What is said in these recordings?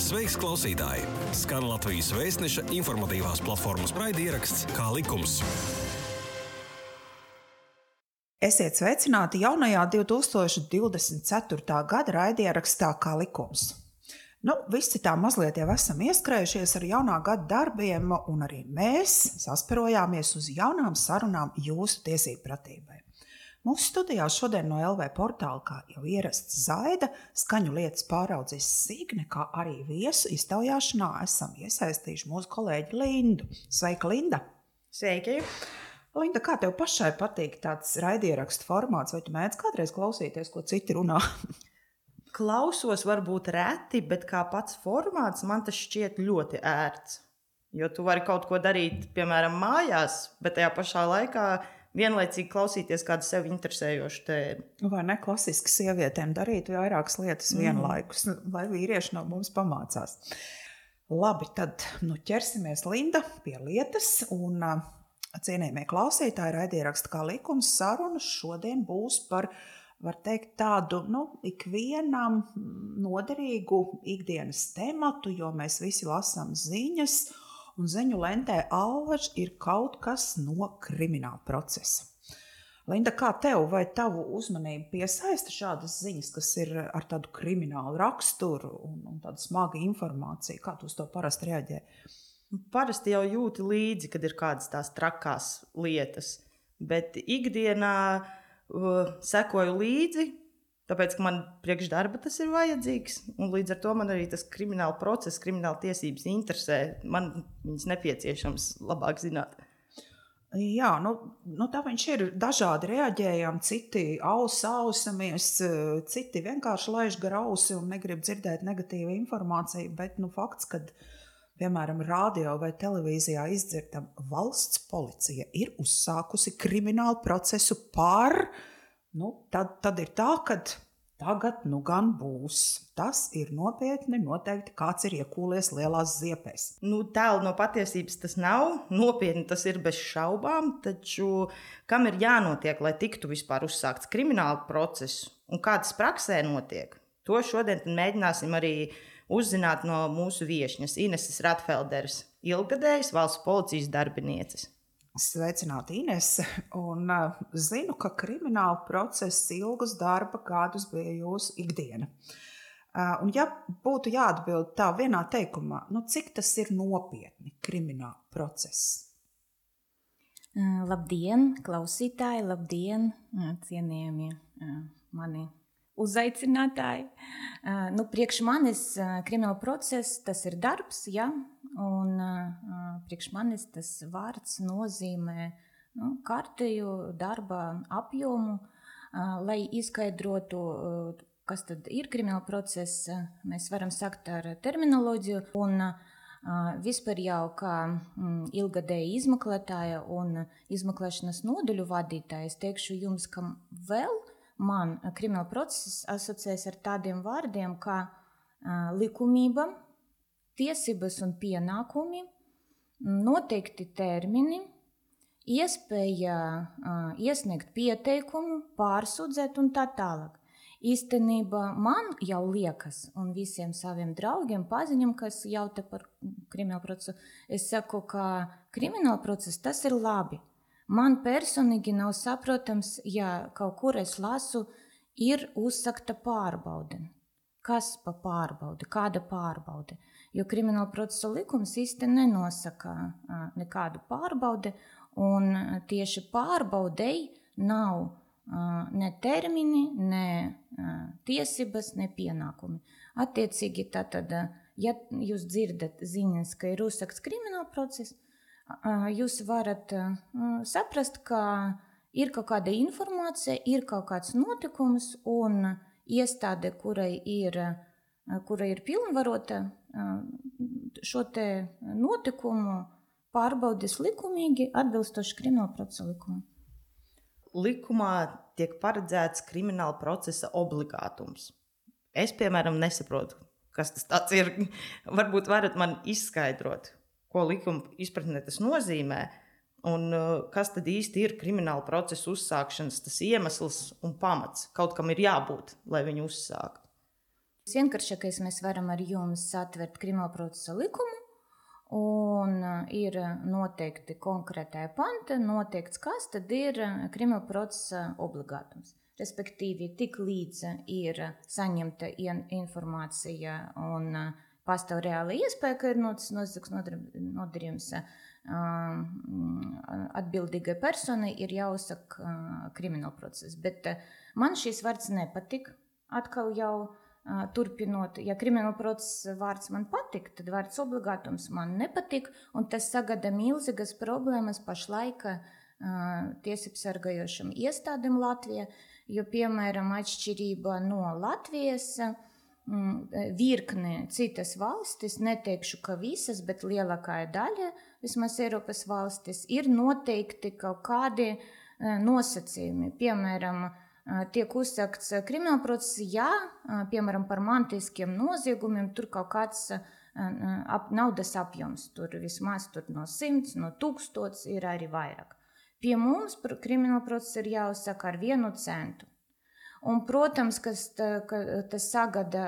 Sveiks, klausītāji! Skan Latvijas Vēstneša informatīvās platformas raidieraksts Kā likums. Esiet sveicināti jaunajā 2024. gada raidierakstā Kā likums. Visi tā mazliet jau esam ieskrējušies ar jaunā gada darbiem, un arī mēs sasperojāmies uz jaunām sarunām jūsu tiesību pratībai. Mūsu studijā šodien no LV portāla, kā jau ierasts, Zaida, skaņu lietas pāraudzis Signe, kā arī viesu iztaujāšanā esam iesaistījuši mūsu kolēģi Lindu. Sveika, Linda! Sveiki! Linda, kā tev pašai patīk tāds raidierakstu formāts, vai tu mēdz kādreiz klausīties, ko citi runā? Klausos varbūt reti, bet kā pats formāts man tas šķiet ļoti ērts. Jo tu vari kaut ko darīt, piemēram, mājās, bet tajā pašā laikā vienlaicīgi klausīties kādu sevi interesējošu tēmu. Vai ne klasiski sievietēm darīt vairākas lietas vienlaikus, lai vīrieši no mums pamācās. Labi, tad ķersimies, Linda, pie lietas, un cienījamie klausītāji, raidieraksta Kā likums sarunas šodien būs par, var teikt, tādu ikvienam noderīgu ikdienas tematu, jo mēs visi lasām ziņas, un ziņu lentē allaž ir kaut kas no krimināla procesa. Linda, kā tev vai tavu uzmanību piesaista šādas ziņas, kas ir ar tādu kriminālu raksturu un tādu smagu informāciju? Kā tu uz to parasti reaģē? Parasti jau jūti līdzi, kad ir kādas tās trakās lietas, bet ikdienā sekoju līdzi, tāpēc, ka man priekš darba tas ir vajadzīgs, un līdz ar to man arī tas krimināla process, krimināla tiesības interesē. Man viņas nepieciešams labāk zināt. Jā, tā viņš ir dažādi reaģējami, citi ausamies, citi vienkārši laiž gar ausi un negrib dzirdēt negatīvu informāciju, bet fakts, kad, piemēram, radio vai televīzijā izdzirdam, valsts policija ir uzsākusi kriminālu procesu par... Tad ir tā, ka tagad gan būs. Tas ir nopietni, noteikti kāds ir iekūlies lielās ziepēs. Tālu no patiesības tas nav, nopietni tas ir bez šaubām, taču kam ir jānotiek, lai tiktu vispār uzsākts krimināla process un kādas praksē notiek? To šodien mēģināsim arī uzzināt no mūsu viešņas Ineses Ratfelderes, ilggadējas valsts policijas darbinieces. Sveicināti, Inese, un zinu, ka krimināla process ilgus darba gadus bija jūsu ikdiena. Un ja būtu jāatbild tā vienā teikumā, cik tas ir nopietni krimināla process? Labdien, klausītāji, labdien, cienījamie mani uzaicinātāji. Priekš manis krimināla process, tas ir darbs, ja? Un priekš manis tas vārds nozīmē kārtēju darba apjomu, lai izskaidrotu, kas tad ir krimināla process, mēs varam sakt ar terminoloģiju. Un vispār jau kā ilgadēja izmeklētāja un izmeklēšanas nodaļu vadītāja, es teikšu jums, ka vēl man krimināla process asociēs ar tādiem vārdiem kā likumība, tiesības un pienākumi, noteikti termini, iespēja iesniegt pieteikumu, pārsūdzēt un tā tālāk. Īstenībā man jau liekas, un visiem saviem draugiem, paziņam, kas jautā par kriminālu procesu, es saku, ka krimināla process tas ir labi. Man personīgi nav saprotams, ja kaut kur es lasu, ir uzsakta pārbaude. Kas pa pārbaudi, kāda pārbaude? Jo krimināla procesa likums īsti nenosaka nekādu pārbaudi, un tieši pārbaudei nav ne termini, ne tiesības, ne pienākumi. Attiecīgi, tātad, ja jūs dzirdat ziņas, ka ir uzsakts krimināla process, jūs varat saprast, ka ir kaut kāda informācija, ir kaut kāds notikums, un iestāde, kura ir pilnvarota šo te notikumu pārbaudīs likumīgi atbilstoši krimināla procesa likumam. Likumā tiek paredzēts krimināla procesa obligātums. Es, piemēram, nesaprotu, kas tas tāds ir. Varbūt varat man izskaidrot, ko likuma izpratnē tas nozīmē, un kas tad īsti ir krimināla procesa uzsākšanas tas iemesls un pamats. Kaut kam ir jābūt, lai viņu uzsāktu. Vienkāršākais mēs varam ar jums satvert krimināla procesa likumu, un ir noteikti konkrētajā panta, noteikts, kas tad ir krimināla procesa obligātums. Respektīvi, tik līdz ir saņemta informācija un pastāv reāla iespēja, ka ir noticis nodarījums, atbildīgai personai ir jāuzsaka krimināla process. Bet man šīs vārds nepatik. Atkal jau turpinot, ja krimināla procesa vārds man patik, tad vārds obligātums man nepatik, un tas sagada milzīgas problēmas pašlaik tiesību sargājošām iestādēm Latvijā, jo, piemēram, atšķirība no Latvijas, virkne citas valstis, neteikšu, ka visas, bet lielākā daļa, vismaz Eiropas valstis, ir noteikti kaut kādi nosacījumi. Piemēram, tiek uzsakts krimināla process, ja, piemēram, par mantiskiem noziegumiem, tur kaut kāds naudas apjoms, tur vismaz no 100, no 1000 ir arī vairāk. Pie mums krimināla process ir jāuzsaka ar 1 centu. Un, protams, ka tas sagada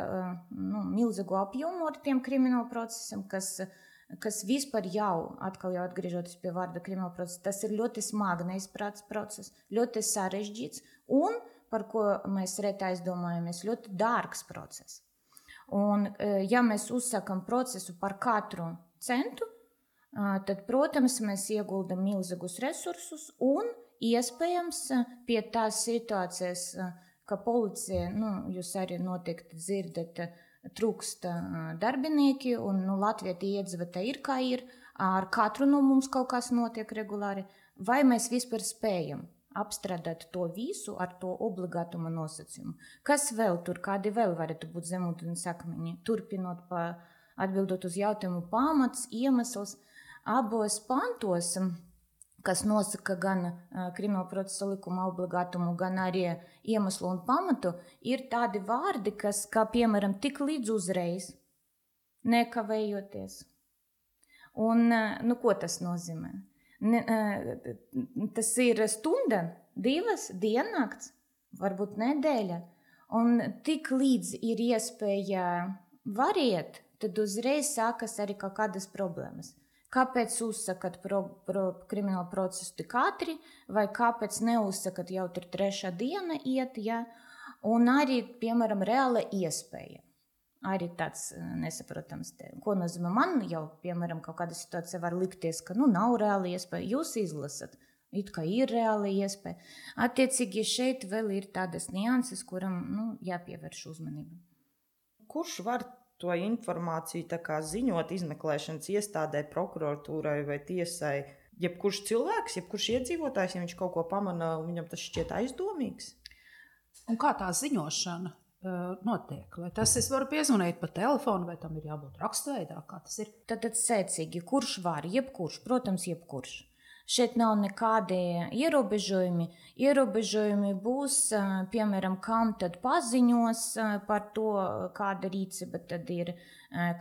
milzīgu apjomu ar tiem krimināla procesiem, kas vispār jau atgriežoties pie vārda krimināla procesa, tas ir ļoti smagnējs process, ļoti sarežģīts un, par ko mēs reti aizdomājamies, ļoti dārgs process. Un, ja mēs uzsakam procesu par katru centu, tad, protams, mēs ieguldam milzīgus resursus un iespējams pie tās situācijas, ka policija, jūs arī noteikti dzirdat, trūkst darbinieki, un Latvijā tie iedzīvotāji ir kā ir, ar katru no mums kaut kas notiek regulāri, vai mēs vispār spējam apstrādāt to visu ar to obligātuma nosacījumu. Kas vēl tur, kādi vēl varētu būt zemūdens akmeņi? Turpinot atbildot uz jautājumu pamats, iemesls, abos pantos, kas nosaka gan krimināla procesa likuma obligātumu, gan arī iemeslu un pamatu, ir tādi vārdi, kas, kā piemēram, tik līdz uzreiz, nekavējoties. Un, ko tas nozīmē? Tas ir stunda, 2, diennakts, varbūt nedēļa, un tik līdz ir iespēja variet, tad uzreiz sākas arī kaut kādas problēmas. Kāpēc uzsakat kriminālu procesu tik ātri, vai kāpēc neuzsakat jau tur 3. diena iet, ja? Un arī, piemēram, reāla iespēja. Arī tāds nesaprotams. Ko nozīmē man jau, piemēram, kaut kāda situācija var likties, ka nav reāla iespēja. Jūs izlasat, it kā ir reāla iespēja. Attiecīgi šeit vēl ir tādas nianses, kuram jāpievērš uzmanība. Kurš var to informāciju ziņot izmeklēšanas iestādē, prokuratūrai vai tiesai? Jebkurš cilvēks, jebkurš iedzīvotājs, ja viņš kaut ko pamana, viņam tas šķiet aizdomīgs? Un kā tā ziņošana notiek? Vai tas es varu piezvanīt pa telefonu, vai tam ir jābūt rakstveidā? Kā tas ir? Tad secīgi, kurš var? Jebkurš, protams, jebkurš. Šeit nav nekādi ierobežojumi. Ierobežojumi būs, piemēram, kam tad paziņos par to, kāda rīcība tad ir,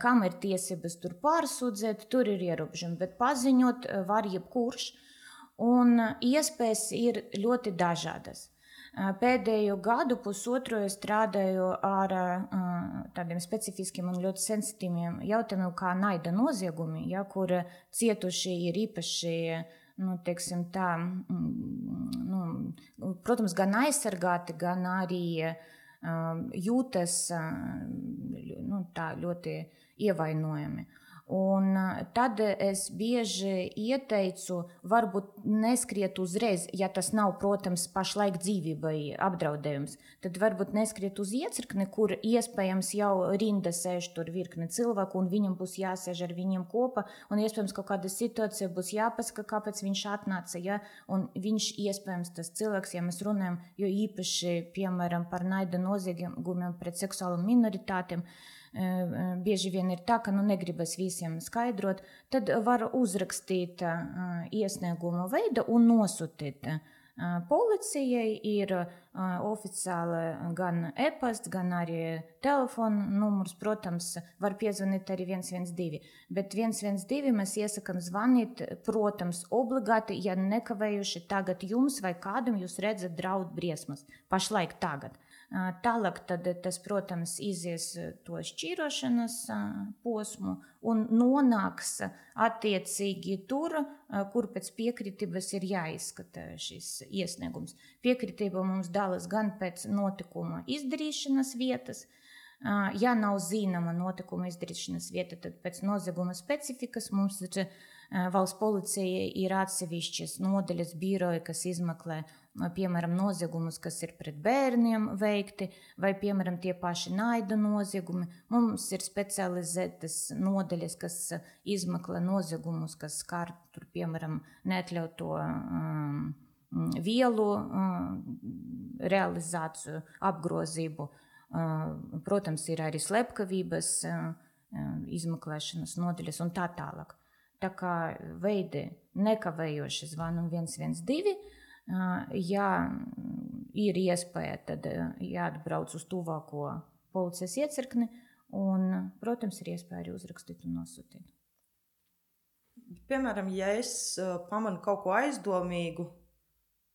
kam ir tiesības tur pārsūdzēt, tur ir ierobežojumi, bet paziņot var jebkurš. Un iespējas ir ļoti dažādas. Pēdējo gadu pusotru es strādāju ar tādiem specifiskiem un ļoti sensitīviem jautājumiem, kā naida noziegumi, kur cietušie ir īpaši, teiksim tā, protams, gan aizsargāti, gan arī jūtas tā ļoti ievainojami. Un tad es bieži ieteicu, varbūt neskriet uzreiz, ja tas nav, protams, pašlaik dzīvībai apdraudējums, tad varbūt neskriet uz iecirkni, kur iespējams jau rinda sēž tur virkne cilvēku, un viņam būs jāsēž ar viņiem kopā, un iespējams kaut kāda situācija būs jāpasaka, kāpēc viņš atnāca, ja? Un viņš iespējams tas cilvēks, ja mēs runājam, jo īpaši, piemēram, par naida noziegumiem pret seksuālām minoritātēm, bieži vien ir tā, ka negribas visiem skaidrot, tad var uzrakstīt iesniegumu veidu un nosūtīt policijai. Ir oficiāli gan e-pasts, gan arī telefona numurs, protams, var piezvanīt arī 112. Bet 112 mēs iesakam zvanīt, protams, obligāti, ja nekavējuši tagad jums vai kādam jūs redzat draud briesmas, pašlaik tagad. Tālāk tad tas, protams, izies to šķīrošanas posmu un nonāks attiecīgi tur, kur pēc piekritības ir jāizskata šis iesniegums. Piekritība mums dalas gan pēc notikuma izdarīšanas vietas. Ja nav zināma notikuma izdarīšanas vieta, tad pēc nozieguma specifikas mums ir valsts policija ir atsevišķas nodaļas biroji, kas izmeklē, piemēram, noziegumus, kas ir pret bērniem veikti, vai, piemēram, tie paši naida noziegumi. Mums ir specializētas nodaļas, kas izmeklē noziegumus, kas skar, piemēram, neatļauto vielu realizāciju, apgrozību. Protams, ir arī slepkavības izmeklēšanas nodaļas un tā tālāk. Tā kā veidi nekavējoši zvanam 112, ja ir iespēja, tad jāatbrauc uz tuvāko policijas iecirkni un, protams, ir iespēja arī uzrakstīt un nosūtīt. Piemēram, ja es pamanu kaut ko aizdomīgu,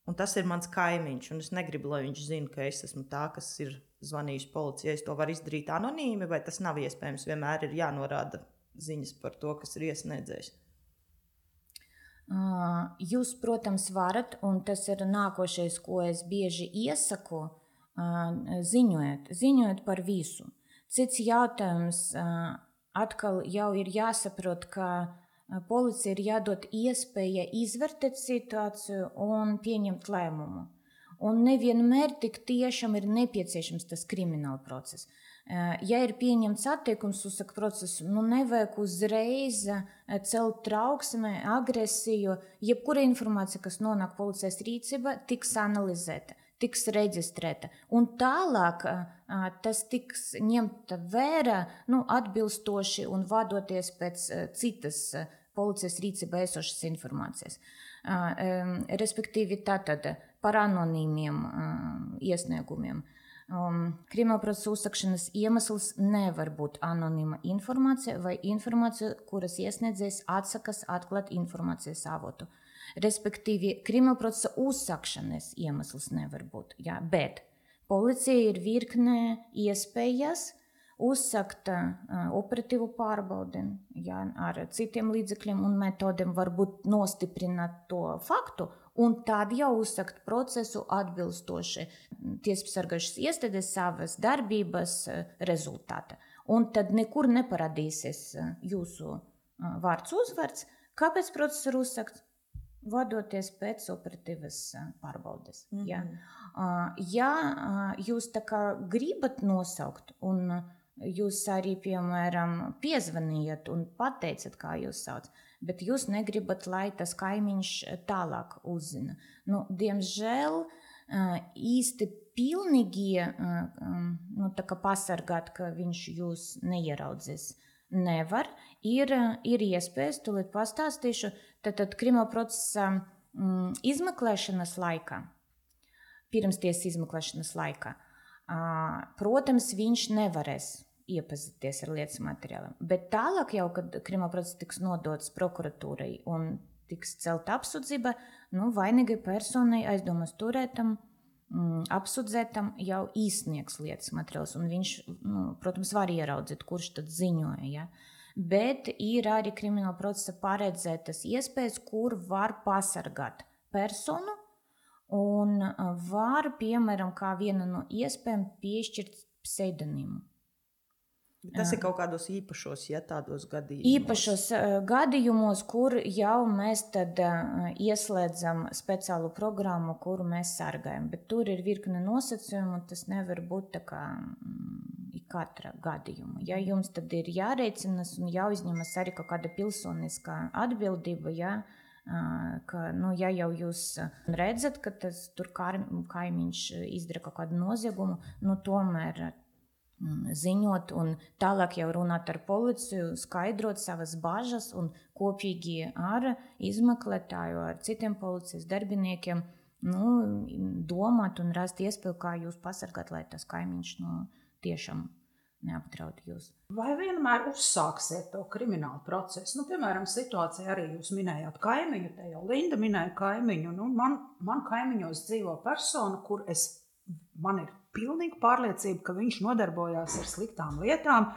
un tas ir mans kaimiņš, un es negribu, lai viņš zina, ka es esmu tā, kas ir zvanījusi policijai, es to varu izdarīt anonīmi, vai tas nav iespējams, vienmēr ir jānorāda ziņas par to, kas ir iesniedzējis? Jūs, protams, varat, un tas ir nākošais, ko es bieži iesaku, ziņojiet par visu. Cits jautājums atkal jau ir jāsaprot, ka policija ir jādod iespēja izvērtēt situāciju un pieņemt lēmumu. Un nevienmēr tik tiešām ir nepieciešams tas krimināla process. Ja ir pieņemts attiekums, uzsaka procesu, nevajag uzreiz celt trauksmi, agresiju. Jebkura informācija, kas nonāk policijas rīcībā, tiks analizēta, tiks reģistrēta. Un tālāk tas tiks ņemta vērā atbilstoši un vadoties pēc citas policijas rīcībā esošas informācijas. Respektīvi tātad par anonīmiem iesniegumiem. Kriminālprocesa uzsākšanas iemesls nevar būt anonīma informācija vai informācija, kuras iesniedzējs atsakas atklāt informācijas avotu. Respektīvi, kriminālprocesa uzsākšanas iemesls nevar būt, bet policija ir virkne iespējas uzsākt operatīvu pārbaudi ar citiem līdzekļiem un metodiem, varbūt nostiprināt to faktu, un tad jau uzsākt procesu atbilstoši tiesībsargājušas iestādes savas darbības rezultāta. Un tad nekur neparādīsies jūsu vārds uzvārds. Kāpēc process ir uzsākts? Vadoties pēc operatīvas pārbaudes. Ja jūs tā kā gribat nosaukt un jūs arī, piemēram, piezvanījat un pateicat, kā jūs sauc, bet jūs negribat, lai tas kaimiņš tālāk uzzina. Diemžēl īsti pilnīgi tā kā pasargāt, ka viņš jūs neieraudzīs, nevar. Ir iespējas, tūlīt pastāstīšu, tad kriminālprocesa izmeklēšanas laikā, pirmstiesas izmeklēšanas laikā, protams, viņš nevarēs iepazīties ar lietas materiāliem. Bet tālāk jau, kad kriminālprocess tiks nodots prokuratūrai un tiks celta apsūdzība, vainīgai personai, aizdomas turētam, apsūdzētam jau izsniegs lietas materiāls. Un viņš, protams, var ieraudzīt, kurš tad ziņoja. Ja? Bet ir arī kriminālprocesa paredzētas iespējas, kur var pasargāt personu un var, piemēram, kā viena no iespējām piešķirt pseidonīmu. Tas ir kaut kādos īpašos, tādos gadījumos. Īpašos gadījumos, kur jau mēs tad ieslēdzam speciālu programmu, kuru mēs sargājam. Bet tur ir virkne nosacījumu, un tas nevar būt tā kā katra gadījuma. Ja jums tad ir jārēcinas un jāuzņemas arī kaut kāda pilsoniskā atbildība, ka, ja jau jūs redzat, ka tas tur kaimiņš izdara kaut kādu noziegumu, tomēr ziņot un tālāk jau runāt ar policiju, skaidrot savas bažas un kopīgi ar izmeklētāju, ar citiem policijas darbiniekiem domāt un rast iespēju, kā jūs pasargāt, lai tas kaimiņš tiešām neapdraud jūs. Vai vienmēr uzsāksiet to kriminālu procesu? Piemēram, situācija arī jūs minējāt kaimiņu, te jau Linda minēja kaimiņu. Man kaimiņos dzīvo persona, kur es man ir pilnīga pārliecība, ka viņš nodarbojās ar sliktām lietām.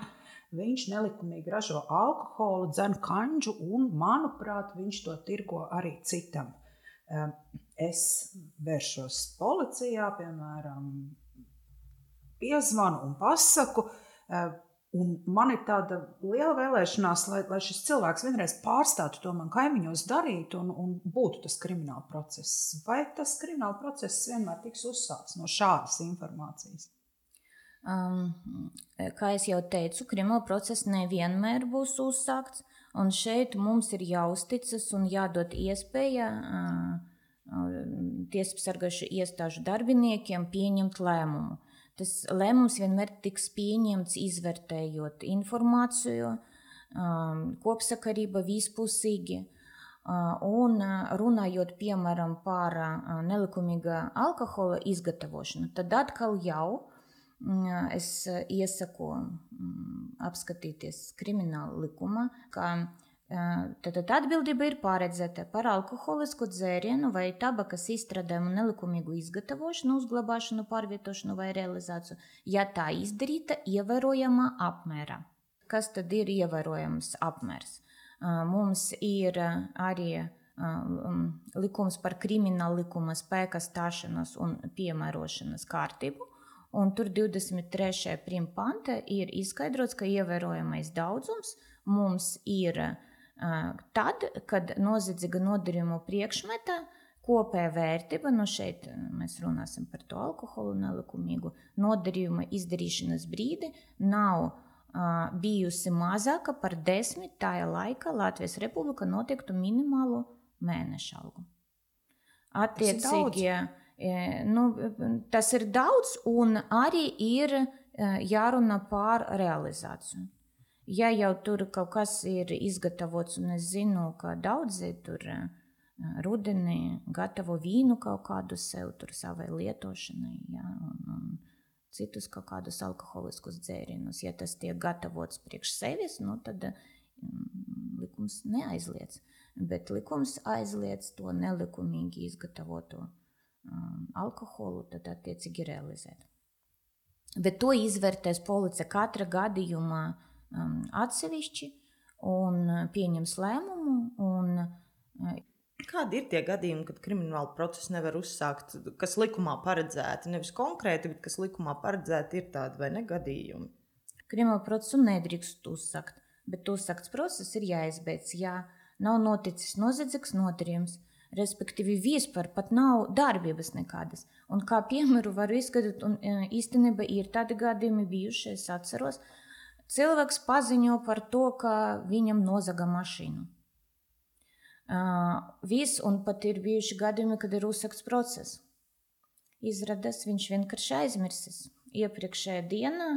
Viņš nelikumīgi ražo alkoholu, dzen kanģu un, manuprāt, viņš to tirgo arī citam. Es vēršos policijā, piemēram, piezvanu un pasaku, un man ir tāda liela vēlēšanās, lai šis cilvēks vienreiz pārstātu to man kaimiņos darīt un būtu tas krimināla process. Vai tas krimināla process vienmēr tiks uzsākts no šādas informācijas? Kā es jau teicu, krimināla process nevienmēr būs uzsākts, un šeit mums ir jāuzticas un jādod iespēja tiesībsargājušu iestāžu darbiniekiem pieņemt lēmumu. Tas lēmums vienmēr tiks pieņemts izvērtējot informāciju, kopsakarība vispusīgi, un runājot, piemēram, par nelikumīga alkohola izgatavošanu, tad atkal jau es iesaku apskatīties krimināla likuma, ka tad atbildība ir paredzēta par alkoholisku dzērienu vai tabakas izstrādājumu nelikumīgu izgatavošanu, uzglabāšanu, pārvietošanu vai realizāciju, ja tā izdarīta ievērojamā apmērā. Kas tad ir ievērojams apmērs? Mums ir arī likums par krimināla likuma spēka stāšanas un piemērošanas kārtību, un tur 23. panta ir izskaidrots, ka ievērojamais daudzums mums ir tad, kad noziedzīga nodarījuma priekšmeta kopējā vērtība, šeit mēs runāsim par to alkoholu nelikumīgu nodarījuma izdarīšanas brīdi, nav bijusi mazāka par 10 tajā laikā Latvijas Republika noteiktu minimālu mēneša algu. Attiecīgi, tas ir daudz, un arī ir jārunā par realizāciju. Ja jau tur kaut kas ir izgatavots, un es zinu, ka daudzi tur rudenī gatavo vīnu kaut kādu sev tur savai lietošanai, ja, un citus kaut kādus alkoholiskus dzērienus. Ja tas tiek gatavots priekš sevis, tad likums neaizliedz. Bet likums aizliedz to nelikumīgi izgatavoto alkoholu, tad attiecīgi realizēt. Bet to izvērtēs policija katra gadījumā atsevišķi un pieņems lēmumu. Kādi ir tie gadījumi, kad krimināla procesu nevar uzsākt, kas likumā paredzēti? Nevis konkrēti, bet kas likumā paredzēti, ir tādi vai ne gadījumi? Krimināla procesu nedrīkst uzsākt, bet uzsākts process ir jāizbeidz, ja nav noticis noziedzīgs nodarījums, respektīvi vispār pat nav darbības nekādas. Un kā piemēru varu izskatīt, un īstenībā ir tādi gadījumi bijuši, es atceros, cilvēks paziņo par to, ka viņam nozaga mašīnu. Un pat ir bijuši gadījumi, kad ir uzsākts process. Izrādās, viņš vienkārši aizmirsis iepriekšējā dienā,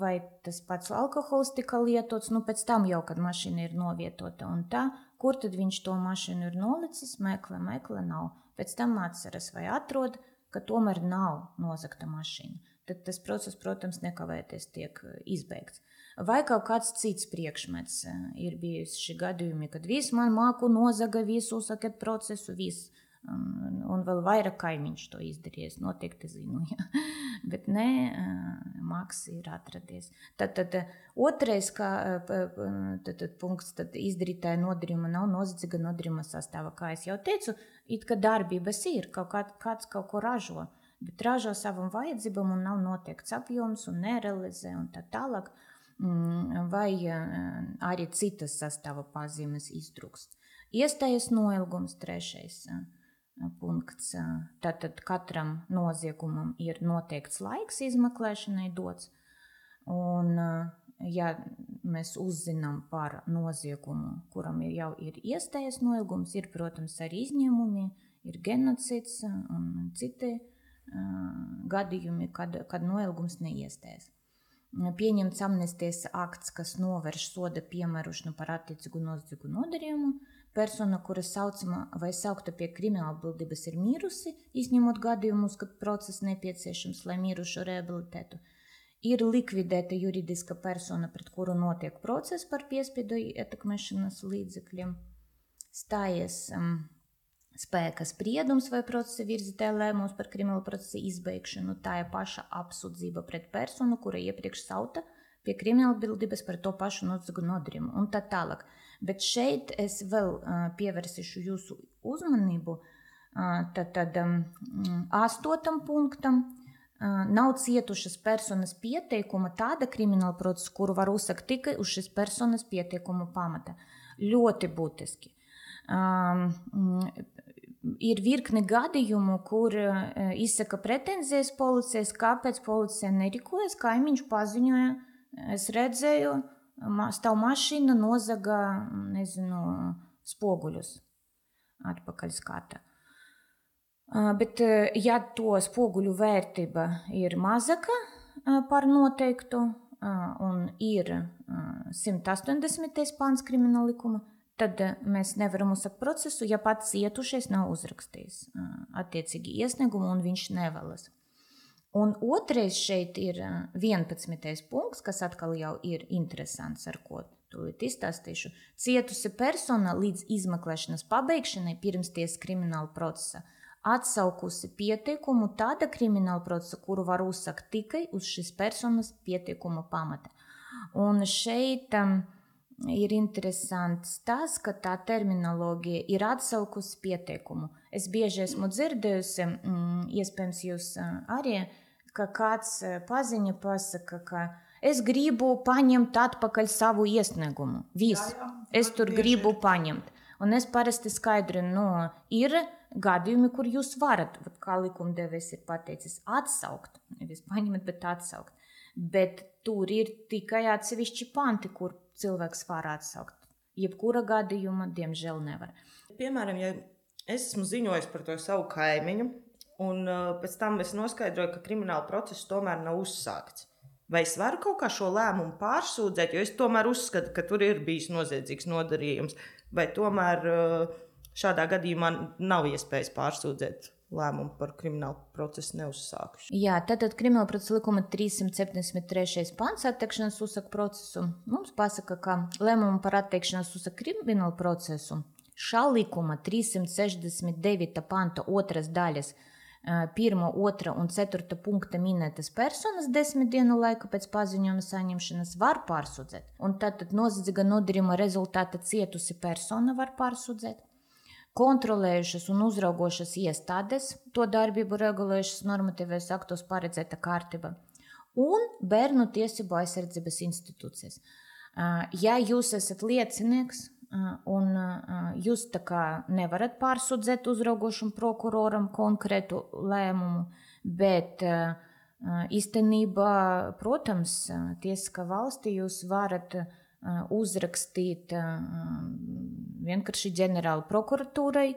vai tas pats alkohols tika lietots, pēc tam jau, kad mašīna ir novietota un tā, kur tad viņš to mašīnu ir nolicis, meklē, nav. Pēc tam atceras vai atrod, ka tomēr nav nozagta mašīna. Tad tas process, protams, nekavēties tiek izbeigts. Vai kaut kāds cits priekšmets ir bijuši gadījumi, kad viss man māku nozaga, visu uzsakat procesu, viss. Un vēl vairāk kaimiņš to izdarījies, noteikti zinu, ja. Bet nē, māks ir atradies. Tad otrais punkts, tad izdarītāja nodarījuma nav noziedzīga nodarījuma sastāvā. Kā es jau teicu, it kā darbības ir, kāds kaut ko ražo, bet ražo savam vajadzībam un nav noteikts apjoms un nerealizē un tā tālāk, vai arī citas sastāva pazīmes iztrūkst. Iestājas noilgums, 3. punkts. Tātad katram noziegumam ir noteikts laiks izmeklēšanai dots, un ja mēs uzzinām par noziegumu, kuram jau ir iestājas noilgums, ir, protams, arī izņēmumi, ir genocids un citi gadījumi, kad noilgums neiestājas. Pieņemts amnestijas akts, kas novērš soda piemērošanu par attiecīgu noziedzīgu nodarījumu. Persona, kura saucama vai saukta pie krimināla atbildības, ir mirusi, izņemot gadījumus, kad process nepieciešams, lai mirušo rehabilitētu. Ir likvidēta juridiska persona, pret kuru notiek process par piespiedu ietekmēšanas līdzekļiem. Stājies spēka spriedums vai procesa virzītāja lēmums par krimināla procesa izbeigšanu, tā ir paša apsūdzība pret personu, kura iepriekš sauta pie krimināla atbildības par to pašu noziegumu nodarījumu un tā tālāk. Bet šeit es vēl pievērsīšu jūsu uzmanību tad 8. punktam. Nav cietušas personas pieteikuma tāda krimināla procesa, kuru var uzsākt tikai uz šīs personas pieteikuma pamata. Ļoti būtiski. Ir virkne gadījumu, kur izsaka pretenzijas policijas, kāpēc policija nerīkojas, kaimiņš paziņoja, es redzēju, stāv mašīna nozaga, spoguļus atpakaļ skata. Bet, ja to spoguļu vērtība ir mazāka par noteiktu un ir 180. pāns krimināla likuma, tad mēs nevaram uzsākt procesu, ja pats cietušais nav uzrakstījis attiecīgi iesniegumu un viņš nevēlas. Un otrais šeit ir 11. punkts, kas atkal jau ir interesants, ar ko tūlīt izstāstīšu. Cietusi persona līdz izmeklēšanas pabeigšanai pirms tiesas krimināla procesa atsaukusi pieteikumu tāda krimināla procesa, kuru var uzsākt tikai uz šīs personas pieteikuma pamata. Un šeit ir interesants tas, ka tā terminoloģija ir atsaukusi pieteikumu. Es bieži esmu dzirdējusi, iespējams jūs arī, ka kāds paziņa pasaka, ka es gribu paņemt atpakaļ savu iesniegumu. Visu. Es tur gribu paņemt. Un es parasti skaidrinu, ir gadījumi, kur jūs varat, kā likumdevējs ir pateicis, atsaukt. Nevis paņemt, bet atsaukt. Bet tur ir tikai atsevišķi panti, kur cilvēks var atsaukt. Jebkura gadījuma, diemžēl, nevar. Piemēram, ja es esmu ziņojis par to savu kaimiņu, un pēc tam es noskaidroju, ka krimināla process tomēr nav uzsākts. Vai es varu kaut kā šo lēmumu pārsūdzēt, jo es tomēr uzskatu, ka tur ir bijis noziedzīgs nodarījums, vai tomēr šādā gadījumā nav iespējas pārsūdzēt lēmumu par kriminālu procesu neuzsākuši. Jā, tātad krimināla procesa likuma 373. pants atteikšanas uzsākt procesu mums pasaka, ka lēmumu par atteikšanas uzsākt kriminālu procesu šā likuma 369. panta 2. daļas 1., 2. un 4. punkta minētas personas 10 dienu laika pēc paziņojuma saņemšanas var pārsūdzēt. Un tātad noziedzīga nodarījuma rezultāta cietusi persona var pārsūdzēt. Kontrolējušas un uzraugošas iestādes, to darbību regulējušas normatīvais aktos paredzēta kārtība, un bērnu tiesību aizsardzības institūcijas. Ja jūs esat liecinieks un jūs tā kā nevarat pārsūdzēt uzraugošam prokuroram konkrētu lēmumu, bet īstenībā, protams, tiesiskā valstī jūs varat uzrakstīt vienkārši ģenerāla prokuratūrai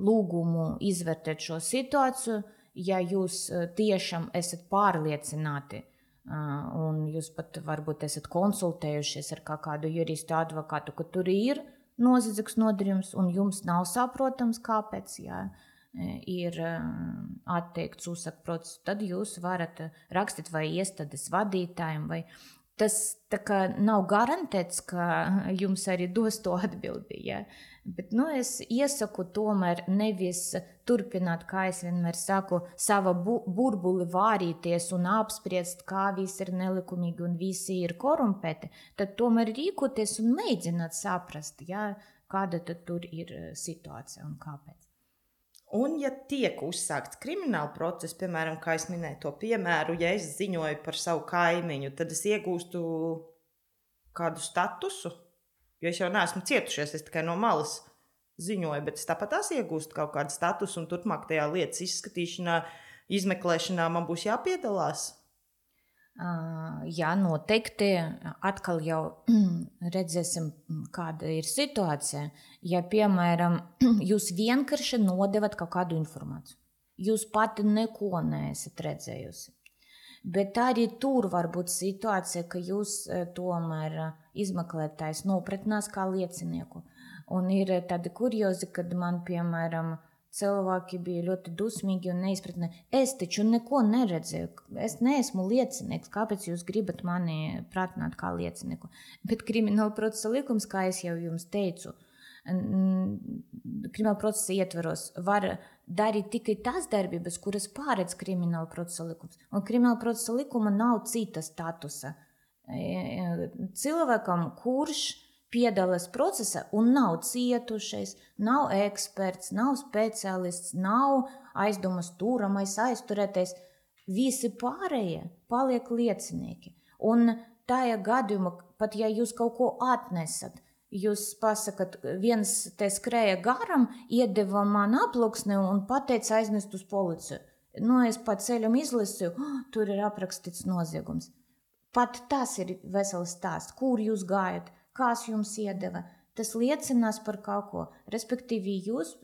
lūgumu izvērtēt šo situāciju, ja jūs tiešām esat pārliecināti un jūs pat varbūt esat konsultējušies ar kādu juristu advokātu, ka tur ir noziedzīgs nodarījums un jums nav saprotams, kāpēc ir atteikts uzsākt procesu, tad jūs varat rakstīt vai iestādes vadītājiem vai tas tā kā nav garantēts, ka jums arī dos to atbildi, ja? Bet, es iesaku tomēr nevis turpināt, kā es vienmēr saku, sava burbuli vārīties un apspriest, kā visi ir nelikumīgi un visi ir korumpēti, tad tomēr rīkoties un mēģināt saprast, ja, kāda tad tur ir situācija un kāpēc. Un, ja tiek uzsākts krimināla process, piemēram, kā es minēju to piemēru, ja es ziņoju par savu kaimiņu, tad es iegūstu kādu statusu, jo es jau neesmu cietušies, es tikai no malas ziņoju, bet es tāpat tās iegūstu kaut kādu statusu un turpmāk tajā lietas izskatīšanā, izmeklēšanā man būs jāpiedalās. Jā, noteikti. Atkal jau redzēsim, kāda ir situācija. Ja, piemēram, jūs vienkārši nodevat kaut kādu informāciju, jūs pati neko neesat redzējusi. Bet arī tur var būt situācija, ka jūs tomēr izmeklētājs nopratinās kā liecinieku. Un ir tādi kuriozi, kad man, piemēram, cilvēki bija ļoti dusmīgi un neizpratnē. Es taču neko neredzēju. Es neesmu liecinieks. Kāpēc jūs gribat mani pratināt kā liecinieku? Bet krimināla procesa likums, kā es jau jums teicu, krimināla procesa ietvaros var darīt tikai tās darbības, kuras pārēdz krimināla procesa likums. Un krimināla procesa likuma nav cita statusa. Cilvēkam, kurš piedalās procesā un nav cietušais, nav eksperts, nav speciālists, nav aizdomas turamais, aizturētais, visi pārējie paliek liecinieki. Un tajā gadījumā, pat ja jūs kaut ko atnesat, jūs pasakat, viens te skrēja garam, iedeva man aploksni un pateica aiznest uz policiju. Es pa ceļam izlasīju, tur ir aprakstīts noziegums. Pat tas ir vesels stāsts, kur jūs gājat, kas jums iedeva. Tas liecinās par kaut ko. Respektīvi, jūs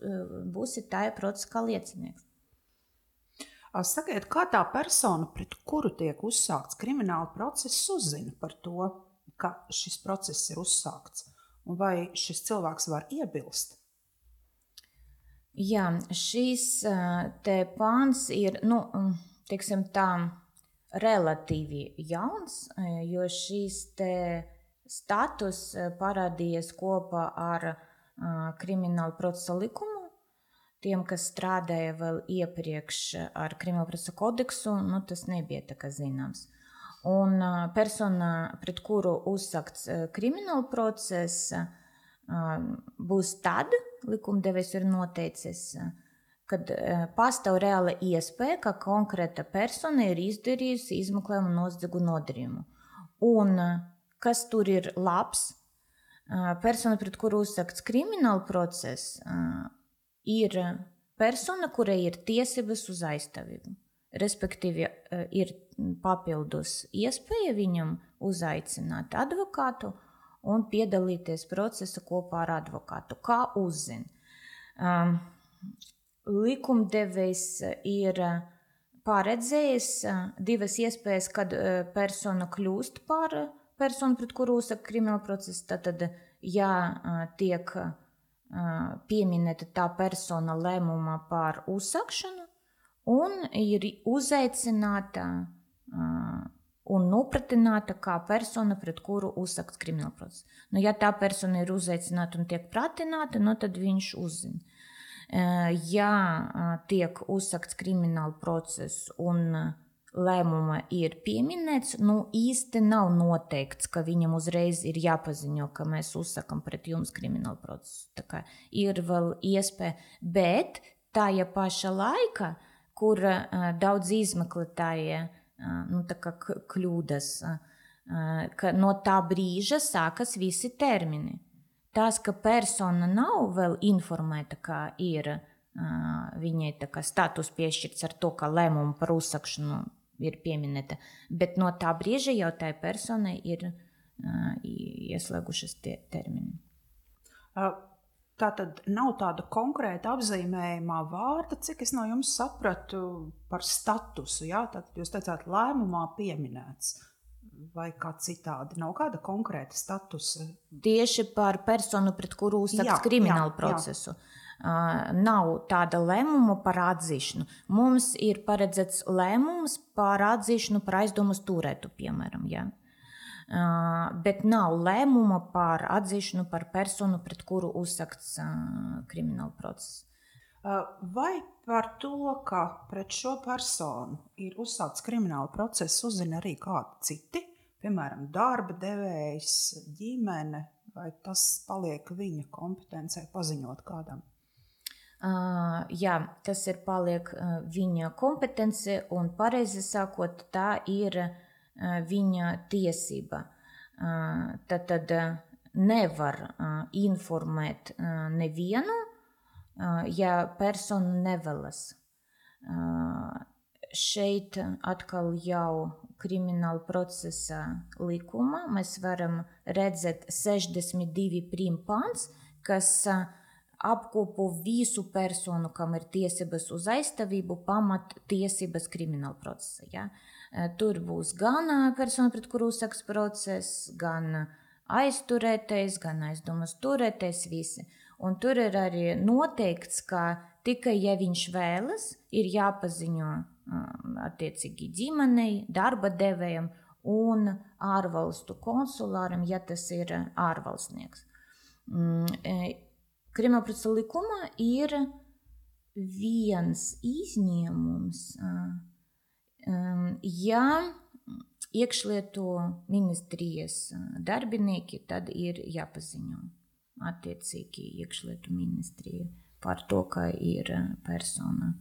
būsiet tajā procesā kā liecinieks. Sakiet, kā tā persona, pret kuru tiek uzsākts krimināla process, uzzina par to, ka šis process ir uzsākts? Un vai šis cilvēks var iebilst? Jā, šis te pāns ir, teiksim tā, relatīvi jauns, jo šis te status parādījies kopā ar krimināla procesa likumu. Tiem, kas strādāja vēl iepriekš ar krimināla procesa kodeksu, tas nebija tā kā zināms. Un persona, pret kuru uzsākts krimināla process, būs tad, likumdevējs ir noteicis, kad pastāv reāla iespēja, ka konkrēta persona ir izdarījusi izmeklējumu noziegumu nodarījumu. Un kas tur ir labs? Persona, pret kuru uzsākts krimināla process, ir persona, kurai ir tiesības uz aizstāvību. Respektīvi, ir papildus iespēja viņam uzaicināt advokātu un piedalīties procesa kopā ar advokātu. Kā uzzina? Likumdevējs ir paredzējis divas iespējas, kad persona kļūst par personu, pret kuru uzsāk krimināla procesa. Tad, ja tiek pieminēta tā persona lēmuma par uzsākšanu, un ir uzaicināta un nopratināta kā persona, pret kuru uzsākts krimināla process. Ja tā persona ir uzaicināta un tiek pratināta, tad viņš uzzina. Ja tiek uzsākts krimināla process un lēmuma ir pieminēts, īsti nav noteikts, ka viņam uzreiz ir jāpaziņo, ka mēs uzsākam pret jums kriminālu procesu. Tā kā ir vēl iespēja, bet tajā paša laika, kur daudz izmeklētāji kļūdas, ka no tā brīža sākas visi termini. Tas, ka persona nav vēl informēta, ka ir viņai status piešķirts ar to, ka lēmumu par uzsākšanu ir pieminēta, bet no tā brīža jau tai personai ir ieslēgušas termini. Tātad nav tāda konkrēta apzīmējumā vārda, cik es no jums sapratu par statusu. Jā? Tātad jūs teicāt, lēmumā pieminēts vai kā citādi. Nav kāda konkrēta statusa? Tieši par personu, pret kuru uzsākts kriminālu procesu. Nav tāda lēmuma par atzīšanu. Mums ir paredzēts lēmums par atzīšanu par aizdomas turētu, piemēram, jā. Bet nav lēmuma par atzīšanu par personu, pret kuru uzsākts krimināla process. Vai par to, ka pret šo personu ir uzsākts krimināla process, uzzina arī kādi citi, piemēram, darba devējs, ģimene, vai tas paliek viņa kompetencē paziņot kādam? Jā, tas ir paliek viņa kompetence un pareizi sakot, tā ir viņa tiesība. Tad nevar informēt nevienu, ja persona nevēlas. Šeit atkal jau krimināla procesa likuma mēs varam redzēt 62 pāns, kas apkopo visu personu, kam ir tiesības uz aizstāvību, pamat tiesības krimināla procesa. Ja? Tur būs gan persona, pret kuru uzsāks process, gan aizturētais, gan aizdomas turētais, visi. Un tur ir arī noteikts, ka tikai ja viņš vēlas, ir jāpaziņo attiecīgi ģimenei, darba devējam un ārvalstu konsulāram, ja tas ir ārvalstnieks. Kriminālprocesa likumā ir viens izņēmums, ja iekšlietu ministrijas darbinieki, tad ir jāpaziņo attiecīgi iekšlietu ministrija par to, ka ir persona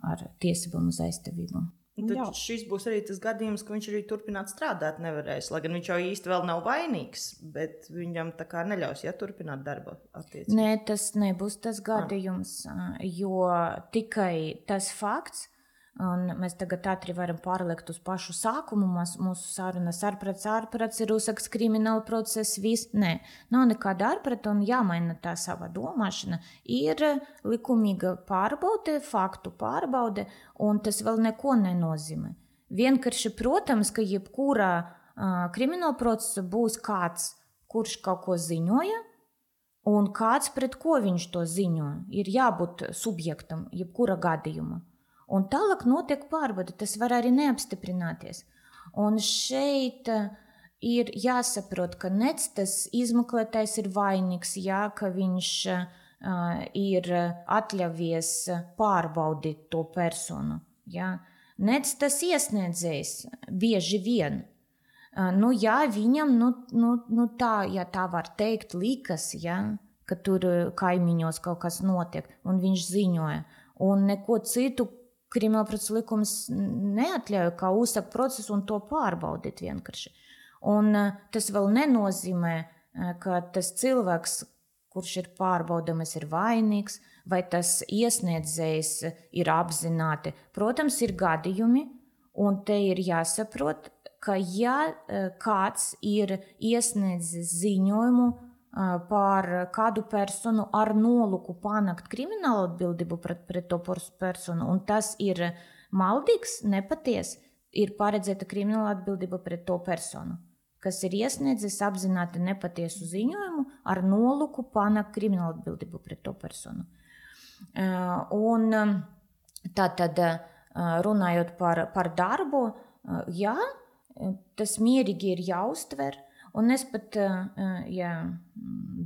ar tiesībām uz aizstāvību. Tad šis būs arī tas gadījums, ka viņš arī turpināt strādāt nevarēs, lai gan viņš jau īsti vēl nav vainīgs, bet viņam tā kā neļaus, turpināt darba attiecības. Nē, tas nebūs tas gadījums, jo tikai tas fakts, un mēs tagad ātri varam pārliekt uz pašu sākumu mūsu sarunas ārprats ir uzsākts krimināla process, viss. Nē, nav nekāda ārprata un jāmaina tā sava domāšana. Ir likumīga pārbaude, faktu pārbaude, un tas vēl neko nenozīmē. Vienkārši, protams, ka jebkurā krimināla procesa būs kāds, kurš kaut ko ziņoja, un kāds, pret ko viņš to ziņoja. Ir jābūt subjektam, jebkura gadījuma. Un tālāk notiek pārbaude, tas var arī neapstiprināties. Un šeit ir jāsaprot, ka nec tas izmeklētājs ir vainīgs, ka viņš ir atļavies pārbaudīt to personu. Nec tas iesniedzējs bieži vien. Viņam, tā, ja tā var teikt, likas, ka tur kaimiņos kaut kas notiek, un viņš ziņoja. Un neko citu kriminālprocesa likums neatļauj, kā uzsākt procesu un to pārbaudīt vienkārši. Un tas vēl nenozīmē, ka tas cilvēks, kurš ir pārbaudāms, ir vainīgs, vai tas iesniedzējs ir apzināti. Protams, ir gadījumi, un te ir jāsaprot, ka kāds ir iesniedzis ziņojumu par kādu personu ar nolūku panākt kriminālu atbildību pret to personu, un tas ir maldīgs, nepaties, ir paredzēta krimināla atbildība pret to personu, kas ir iesniedzis apzināti nepatiesu ziņojumu ar nolūku panākt kriminālu atbildību pret to personu. Un tātad, runājot par darbu, tas mierīgi ir jāuztver. Un es pat, ja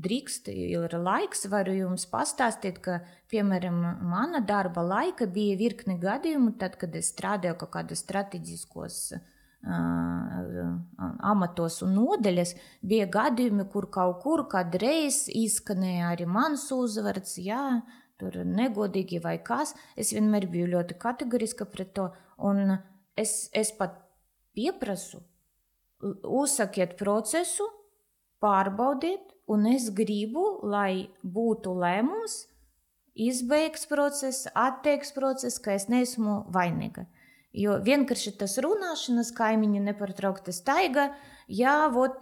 drīkst, ir laiks, varu jums pastāstīt, ka, piemēram, mana darba laika bija virkni gadījumu, tad, kad es strādāju kaut kādos strateģiskos amatos un nodeļas, bija gadījumi, kur kaut kur kādreiz izskanēja arī mans uzvards, tur negodīgi vai kas. Es vienmēr biju ļoti kategoriska pret to, un es pat pieprasu, uzsakiet procesu, pārbaudiet, un es gribu, lai būtu lēmums, izbeigts process, atteikts process, ka es neesmu vainīga. Jo vienkārši tas runāšanas kaimiņi nepārtraukti staiga,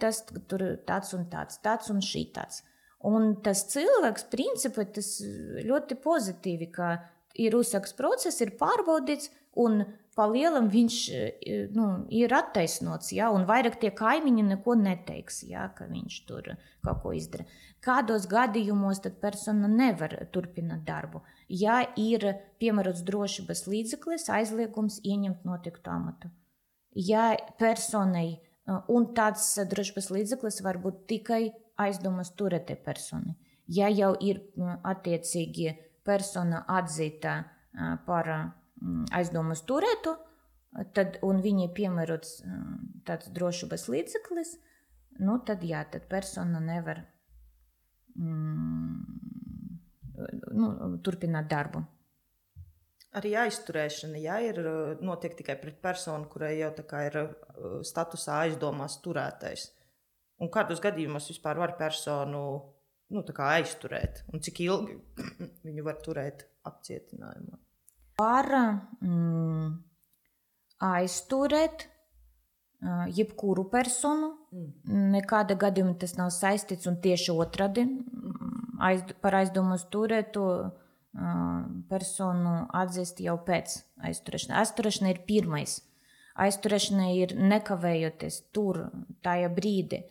tas tur tāds un šitāds. Un tas cilvēks, principā, tas ļoti pozitīvi, ka ir uzsākts process, ir pārbaudīts, un palielam viņš ir attaisnots, un vairāk tie kaimiņi neko neteiks, ka viņš tur kaut ko izdara. Kādos gadījumos tad persona nevar turpināt darbu? Ja ir piemērots drošības līdzeklis, aizliegums ieņemt noteiktu amatu. Ja personai, un tāds drošības līdzeklis var būt tikai aizdomas turētai personai. Ja jau ir attiecīgi persona atzīta par aizdomas turētu, un viņai piemērots tāds drošības līdzeklis, tad persona nevar turpināt darbu. Arī aizturēšana, ir notiek tikai pret personu, kurai jau tā kā ir statusā aizdomās turētais. Un kādos gadījumos vispār var personu tā kā aizturēt? Un cik ilgi viņu var turēt apcietinājumā? Var aizturēt jebkuru personu. Nekāda gadījuma tas nav saistīts, un tieši otrādi par aizdomas turētu personu atzīst jau pēc aizturēšanas. Aizturēšana ir pirmais. Aizturēšana ir nekavējoties tur, tajā brīdī.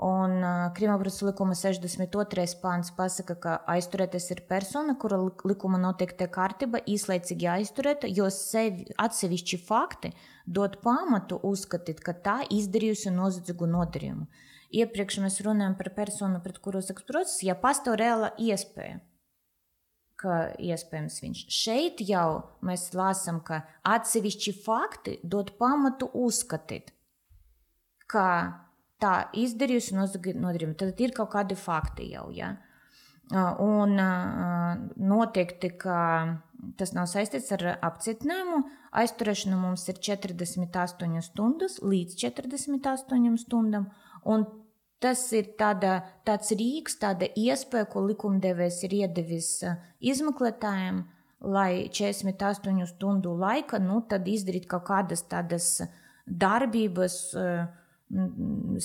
Un Kriminālprocesa likuma 62. pāns pasaka, ka aizturētais ir persona, kura likuma noteikta kārtība īslaicīgi aizturēta, jo atsevišķi fakti dod pamatu uzskatīt, ka tā izdarījusi noziedzīgu nodarījumu. iepriekš mēs runājam par personu, pret kuru saks process, ja pastāv reāla iespēja, ka iespējams viņš. Šeit jau mēs lasām, ka atsevišķi fakti dod pamatu uzskatīt, ka tā izdarījusi nodarījumu. Tad ir kaut kādi fakti jau, ja? Un noteikti, ka tas nav saistīts ar apcietinājumu. Aizturēšana mums ir 48 stundas līdz 48 stundām, un tas ir tāds rīks, tāda iespēja, ko likumdevējs ir iedevis izmeklētājiem, lai 48 stundu laika, tad izdarīt kaut kādas tādas darbības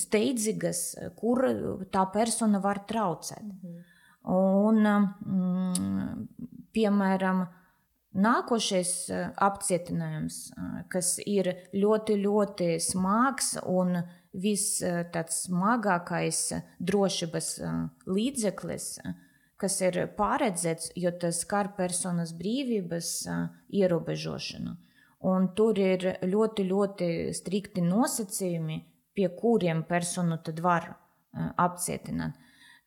steidzīgas, kur tā persona var traucēt. Un, piemēram, nākošais apcietinājums, kas ir ļoti, ļoti smags un tāds smagākais drošības līdzeklis, kas ir paredzēts, jo tas skar personas brīvības ierobežošanu. Un tur ir ļoti, ļoti strikti nosacījumi, pie kuriem personu tad var apcietināt.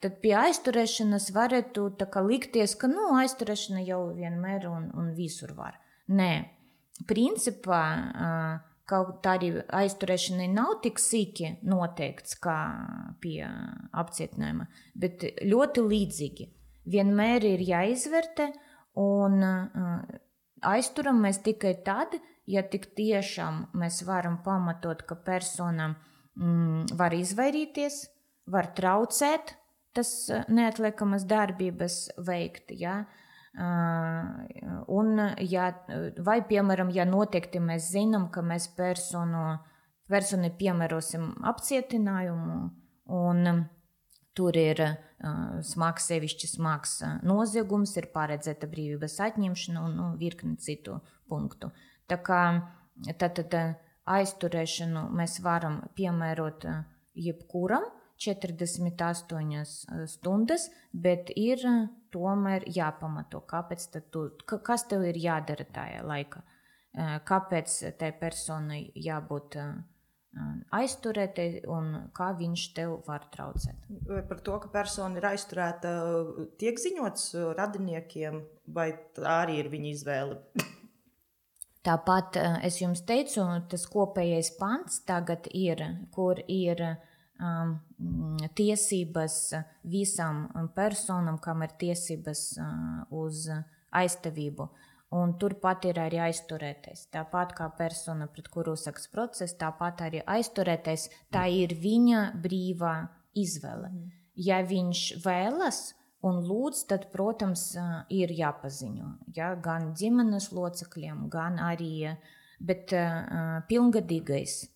Tad pie aizturēšanas varētu likties, ka aizturēšana jau vienmēr un visur var. Nē, principā kaut arī aizturēšanai nav tik sīki noteikts kā pie apcietinājuma, bet ļoti līdzīgi. Vienmēr ir jāizvērtē un aizturam mēs tikai tad, ja tik tiešām mēs varam pamatot, ka persona var izvairīties, var traucēt, tas neatliekamas darbības veikt, ja? Un, vai, piemēram, ja noteikti mēs zinām, ka mēs personi piemērosim apcietinājumu, un tur ir sevišķi smags noziegums, ir paredzēta brīvības atņemšana un virkni citu punktu. Tā kā tad aizturēšanu mēs varam piemērot jebkuram 48 stundas, bet ir tomēr jāpamato, kas tev ir jādara tajā laikā, kāpēc tai personai jābūt aizturētai un kā viņš tev var traucēt. Par to, ka persona ir aizturēta, tiek ziņots radiniekiem, vai tā arī ir viņa izvēle? Tāpat es jums teicu, tas kopējais pants tagad ir, kur ir tiesības visam personam, kam ir tiesības uz aizstāvību. Un turpat ir arī aizturētais. Tāpat kā persona, pret kuru saks process, tāpat arī aizturētais, tā ir viņa brīvā izvēle. Ja viņš vēlas un lūdz, tad, protams, ir jāpaziņo. Ja? Gan ģimenes locekļiem, gan arī, bet pilngadīgais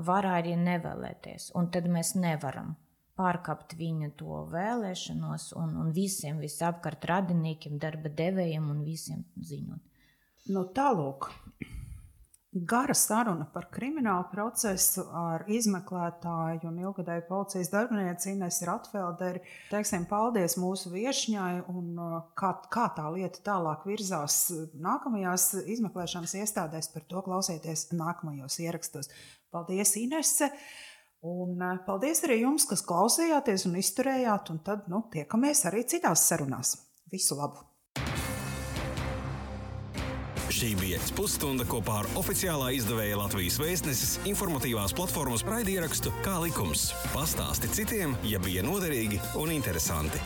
var arī nevēlēties. Un tad mēs nevaram pārkāpt viņa to vēlēšanos un visiem visapkārt radiniekiem, darba devējiem un visiem ziņot. Tālūk, gara saruna par kriminālu procesu ar izmeklētāju un ilgadēju policijas darbinieci Inesu Ratfelderi. Teiksim, paldies mūsu viešņai un kā tā lieta tālāk virzās nākamajās izmeklēšanas iestādēs, par to klausieties nākamajos ierakstos. Paldies, Inese! Un paldies arī jums, kas klausījāties un izturējāt, un tad tiekamies arī citās sarunās. Visu labu! Šī bija pusstunda kopā ar oficiālā izdevēja Latvijas Vēstneses informatīvās platformas raidierakstu Kā likums. Pastāsti citiem, ja bija noderīgi un interesanti.